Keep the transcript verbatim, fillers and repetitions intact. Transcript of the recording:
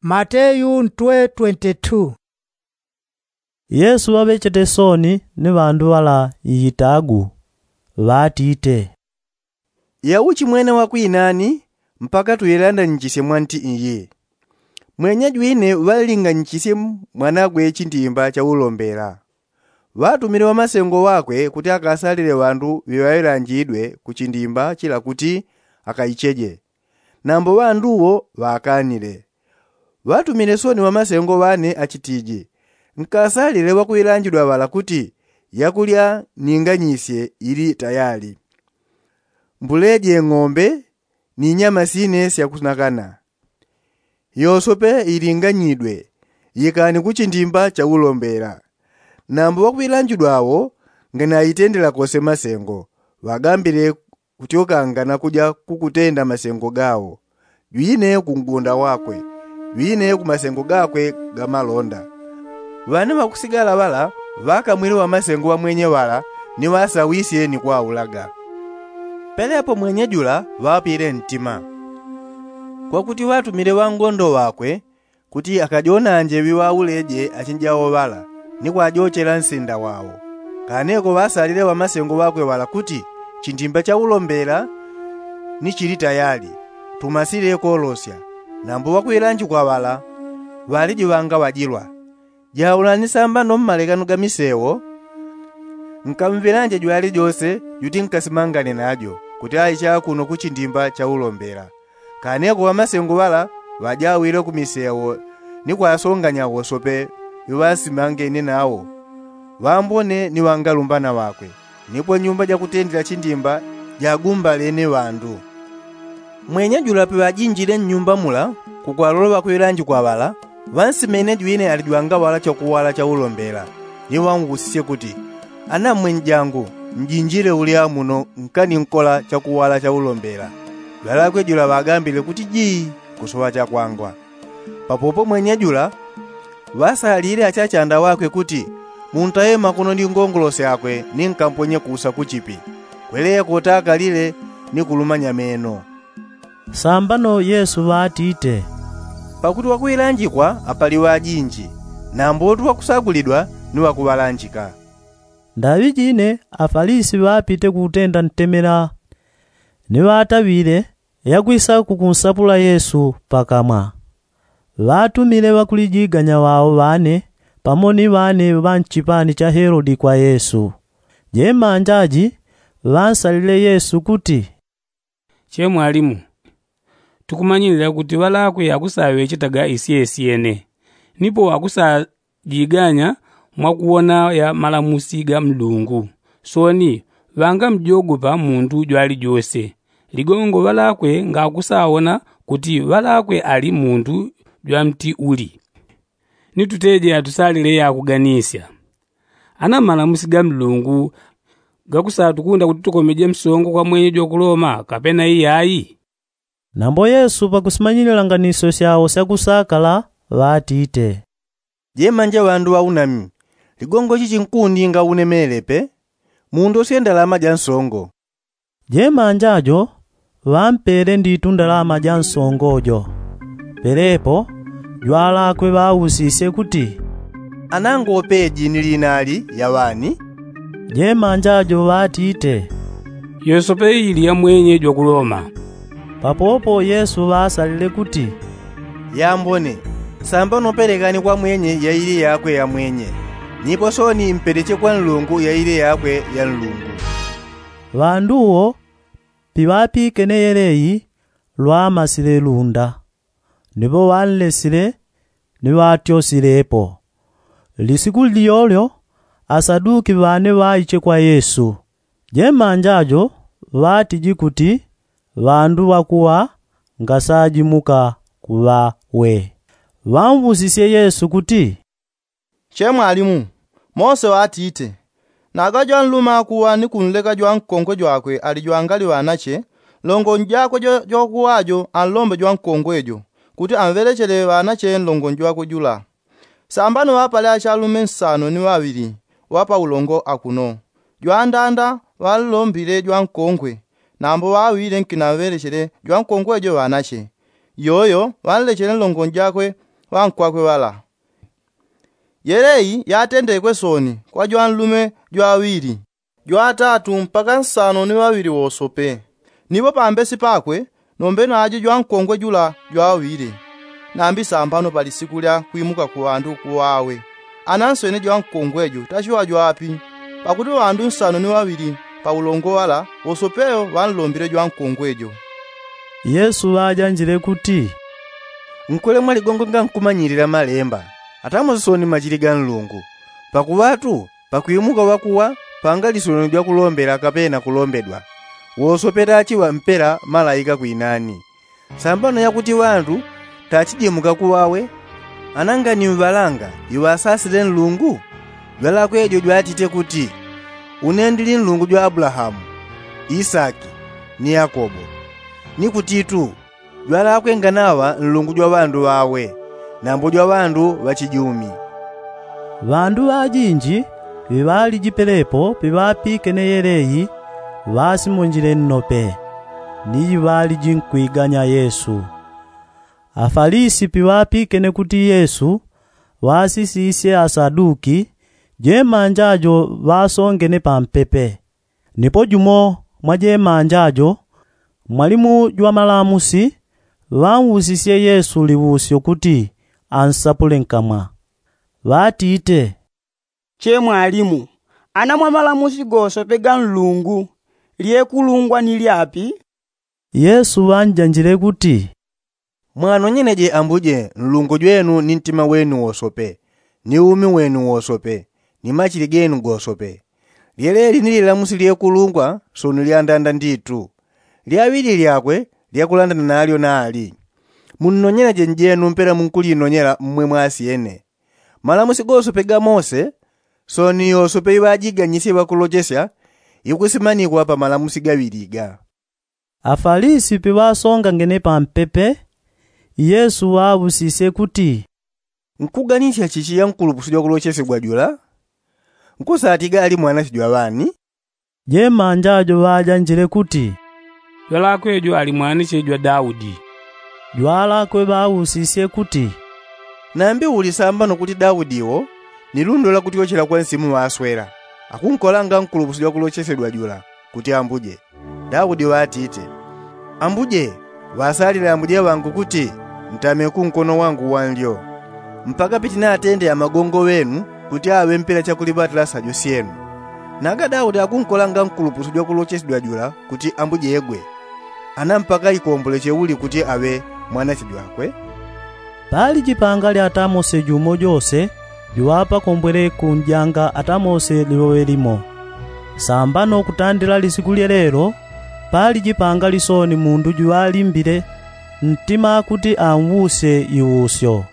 Mateyu ntwe twenty-two. Yesu ŵaŵechete sooni ni ŵandu ŵala iyitagu, ŵatite, yauchi mwene wakwinani mpaka tuyilandanyichisye mwa nti iyi? Mwenyejwine ŵalinganyichisye mwanagwe chindimba cha ulombela. Ŵatumile ŵamasengo ŵakwe kuti akasalile ŵandu ŵiŵailanjidwe ku chindimba chila kuti akaicheje. Nambo ŵandu wo ŵakanile. Ŵatumile sooni ŵamasengo ŵane achitiji, nkasalile ŵakuilanjidwa ŵala kuti yakulya ninganyisye ili tayali. Mbuleje ng'ombe ni nyama sine syakunakana. Yosope ilinganyidwe, yikani ku chindimba cha ulombela. Nambo ŵakuilanjidwa wo nganaitendela kose masengo, ŵagambile kutyokanga na kuja kukutenda masengo gawo, jwine ku ngunda wakwe, jwine ku masengo gakwe ga malonda. Ŵane ŵakusigala ŵala ŵakamwile ŵamasengo ŵamwenye ŵala ni ŵasawisye ni kwaulaga. Pelepo mwenye jula ŵapile ntima, kwakuti ŵatumile ŵangondo ŵakwe kuti akajonanje ŵiŵauleje achinjawo ŵala ni kwajochela nsinda wawo. Kaneko ŵasalile ŵamasengo ŵakwe ŵala kuti chindimba cha ulombela ni chili tayali, tumasile kolosya. Nambo ŵakuilanjikwa ŵala ŵalijiŵanga ŵajilwa. Jaulani sambano mmalekano ga misewo, nkamvilanje jwalijose juti nkasimangane najo kuti aiche akuno ku chindimba cha ulombela. Kaneko ŵamasengo ŵala ŵajawile ku misewo ni kwasonganya wosope ŵiŵasimangene nawo, ŵambone ni ŵangalumbana ŵakwe. Nipo nyumba jakutendela chindimba jagumbalene ŵandu. Mwenye jula piŵajinjile nnyumba mula kukwalolo ŵakuilanjikwa ŵala, ŵansimene jwine alijwanga ŵala chakuwala cha ulombela, ni ŵausisye kuti, ana mwenye jangu, njinjile ulya muno nkaninkola chakuwala cha ulombela? Jwalakwe jula ŵagambile kuti jii, kusoŵa chakwangwa. Papopo mwenye jula ŵasalile achachanda ŵakwe kuti, muntaye makono ni ngongolo syakwe ni nkamponye kusa kuchipi, kweleye kotaakalile ni kulumanya meno. Sambano yesu ŵatite, pakuti ŵakuilanjikwa apali ŵajinji, nambo utu ŵakusagulidwa ni ŵakuŵalanjika. Ndaŵi jine afalisi ŵapite kutenda ntemela, ni ŵataŵile yakwisa kukunsapula yesu pakamwa. Ŵatumile ŵakulijiganya ŵao ŵane pamo ni ŵane ŵa nchipani cha helodi kwa yesu. Jemanja ji ŵansalile yesu kuti, che mwalimu, tukumanyilila kuti ŵalakwe akusaŵechetaga isyesyene, nipo akusajiganya mwakuwona ya malamusi ga nlungu. Sooni ŵangamjogopa mundu jwalijose. Ligongo ŵalakwe ngakusawona kuti ŵalakwe ali mundu jwa mti uli. Ni tuteje atusalile yakuganisya. Ana malamusi ga nlungu gakusatukunda kuti tukomeje msongo kwa mwenye jwa ku loma kapena iyai? Nambo yesu pakusimanyilila nganisyo syao syakusakala, ŵatite, jemanja ŵandu ŵaunami, ligongo chichi nkundi ngaunemelepe. Mundosye ndalama ja nsongo. Jemanja jo ŵampele nditu ndalama ja nsongo jo. Pelepo jwalakwe ŵausisye kuti, anangopeji ni linali ya ŵani? Jemanja jo ŵatite, yosope ili ya mwenye jwa ku loma. Papopo yesu ŵaasalile kuti, yambone, sambano pelekani kwa mwenye yaili yakwe ya mwenye, nipo sooni mpeleche kwa nlungu yaili yakwe ya nlungu. Ŵandu wo piŵapikene yeleyi lwamasile lunda, nipo ŵanlesile ni ŵatyosilepo. Lisiku lyolyo asaduki ŵane ŵaiche kwa yesu. Jemanja jo ŵatiji kuti ŵandu ŵakuŵa ngasajimuka kuŵa we. Ŵausisye yesu kuti, che mwalimu, mose ŵatite, naga jwanluma akuŵa ni kunleka jwankongwe jwakwe alijwangali ŵanache, nlongonji jakwe jwakuŵa jo anlombe jwankongwe jo kuti anŵelechele ŵanache nlongonji jwakwe jula. Sambano ŵapale achalume nsano ni ŵaŵili ŵa paulongo akuno. Jwandanda ŵanlombile jwankongwe, nambo ŵaŵile nkinanŵelechele jwankongwe jo ŵanache. Yoyo ŵanlechele nlongonji jakwe ŵankwakwe ŵala. Yeleyi yatendekwe sooni kwa jwanlume jwaŵili, jwatatu mpaka nsano ni ŵaŵili wosope. Nipo pambesi pakwe nombe najo jwankongwe jula jwaŵile. Nambi sambano pa lisiku lya kwimuka ku ŵandu kuŵawe, ananswene jwankongwe jo tasyoŵa jwapi. Pakuti ŵandu nsano ni ŵaŵili pa ulongo ŵala wosopeyo ŵanlombile jwankongwe jo. Yesu ŵajanjile kuti, nkulemwa ligongo nga nkumanyilila malemba, atamosesoni machili ga nlungu. Pakuŵatu pakwimuka ŵakuŵa pangalisweno jwakulombela kapena kulombedwa. Wosope tachiŵa mpela malaika kwinani. Sambano yakuti ŵandu tachijimuka kuŵawe, anangani mŵalanga iŵasasile nlungu? Jwalakwe jo jwatite kuti, une ndili nlungu jwa abulahamu, isaki, ni yakobo. Ni kutitu jwalakwe nganaŵa nlungu jwa ŵandu ŵawe, nambo jwa ŵandu ŵachijumi. Ŵandu ŵajinji ŵiŵaliji pelepo piŵapikene yeleyi, ŵasimonjile nnope ni iŵaliji nkwiganya yesu. Afalisi piŵapikene kuti yesu ŵasisisye asaduki, jemanja jo ŵasongene pampepe. Nipo jumo mwa jemanja jo mwalimu jwa malamusi ŵausisye yesu liusyo kuti ansapule nkamwa. Ŵatite, che mwalimu, ana mwa malamusi gosope ga nlungu lyekulungwa ni lyapi? Yesu ŵanjanjile kuti, mwanonyeneje ambuje nlungu jwenu ni ntima wenu wosope, ni umi wenu wosope, ni machili genu gosope. Lyeleli ni lilamusi lyekulungwa soni lyandanda nditu. Lyaŵili lyakwe lyakulandana nalyo nali, munnonyeneje njenu mpela munkulinonyela mmwe mwasyene. Malamusi gosope ga mose soni yosope iŵajiganyisye ŵakulochesya ikusimanikwa pa malamusi gaŵili ga. Afalisi piŵasongangene pampepe, yesu ŵaŵusisye kuti, nkuganisya chichi ya nkulupusi jwakulochesegwa jula? Nkusatiga ali mwanache jwa ŵani? Jemanja jo ŵajanjile kuti, jwalakwe jo ali mwanache jwa daudi. Jwalakwe ŵausisye kuti, nambi uli sambano kuti daudi wo ni lundo lwakutyochela kwa nsimu ŵaswela akunkolanga nkulupusi jwakulochesedwa jula kuti ambuje? Daudi ŵatite, ambuje, ŵasalile ambuje ŵangu kuti ntame kunkono wangu wanlyo, mpaka pitinatende amagongo ŵenu kuti aŵe mpela chakuliŵatila sajo syenu. Naga daudi akunkolanga nkulupusi jwakulochesedwa jula kuti ambujegwe, ana mpaka ikomboleche uli kuti aŵe mwanache jwakwe? Pali jipanga lya tamose jumo jose juŵapakombwele kunjanga atamose liŵoŵe limo. Sambano kutandila lisiku lyelelo pali jipanga lisoni mundu juŵalimbile ntima kuti anwusye iwusyo.